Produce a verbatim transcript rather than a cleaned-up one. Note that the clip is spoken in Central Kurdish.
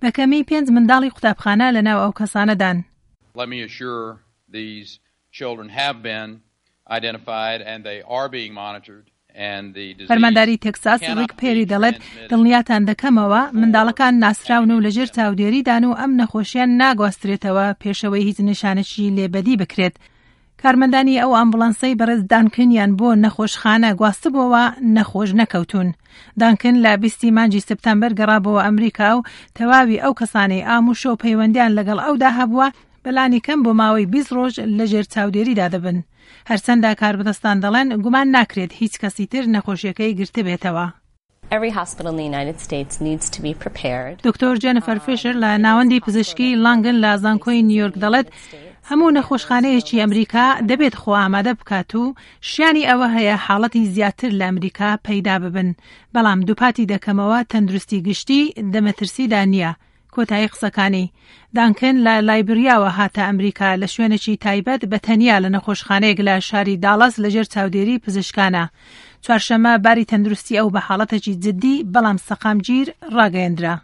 بە کەمی پێنج منداڵی قوتابخانە لەناو ئەو کەسانەدان. Let me assure these children have been identified and they are being monitored. فەرمانداری تێکساس ڕیک پێری دەڵێت دڵنیاتان دەکەمەوە منداڵەکان ناسراون و لەژێر چاودێریدان و ئەم نەخۆشیان ناگواسترێتەوە پێشەوەی هیچ نیشانێکی لێبەدی بکرێت. کارمەندانی ئەو ئامبولانسەی بەڕێز دانکنیان بۆ نەخۆشخانە گواستبووەوە نەخۆش نەکەوتون. دانکن لە بیستی مانگی سپتەمبەر گەڕابەوە ئەمریکا و تەواوی ئەو کەسانەی ئاموشە و پەیوەندیان لەگەڵ ئەودا هەبووە بەلانی کەم بۆ ماوەی بیست ڕۆژ لەژێر چاودێریدا دەبن. هەرچەندە کاربەدەستان دەڵێن گومان ناکرێت هیچ کەسی تر نەخۆشیەکەی گرتبێتەوە. Every hospital in the United States needs to be prepared. دکتۆر جێنیفەر فیشەر لە ناوەندی پزیشکی لانگن لە زانکۆی نیویۆرک دەڵێت هەموو نەخۆشخانەیەکی ئەمریکا دەبێت خۆ ئامادە بکات و شیانی ئەوە هەیە حاڵەتی زیاتر لە ئەمریکا پەیدا ببن، بەڵام دووپاتی دەکەمەوە تەندروستی گشتی دەمەترسیدا نییە. کۆتایی قسەکانی دانکن لە لایبریاوە هاتە ئەمریکا لە شوێنێکی تایبەت بە تەنیا لە نەخۆشخانەیەک لە شاری داڵاس لەژێر چاودێری پزیشکانە. چوارشەممە باری تەندروستی ئەو بە حاڵەتێکی جدی بەڵام سەقامگیر ڕاگەیەندرا.